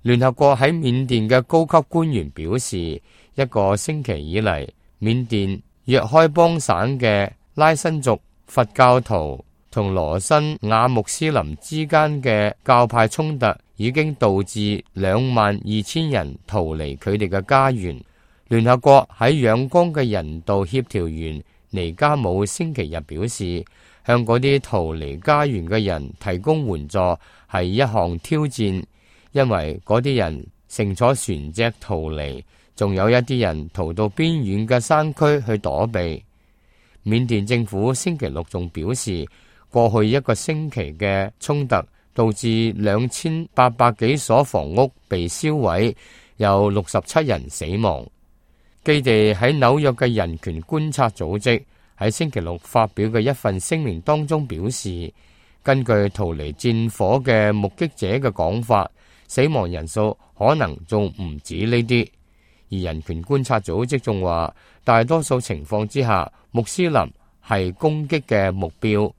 聯合國喺緬甸嘅高級官員表示，一個星期以嚟，緬甸若開邦省嘅拉辛族佛教徒同羅辛亞穆斯林之間嘅教派衝突，已經導致22,000人逃離佢哋嘅家園。聯合國喺仰光嘅人道協調員尼加姆星期日表示，向嗰啲逃離家園嘅人提供援助係一項挑戰，因為嗰啲人乘坐船隻逃離，仲有一啲人逃到邊遠嘅山區去躲避。緬甸政府星期六仲表示，過去一個星期嘅衝突導致2800幾所房屋被燒毀，有67人死亡。基地喺紐約嘅人權觀察組織喺星期六發表嘅一份聲明當中表示，根據逃離戰火嘅目擊者嘅講法，死亡人數可能仲唔止呢啲。而人權觀察組織仲話，大多數情況之下，穆斯林係攻擊嘅目標。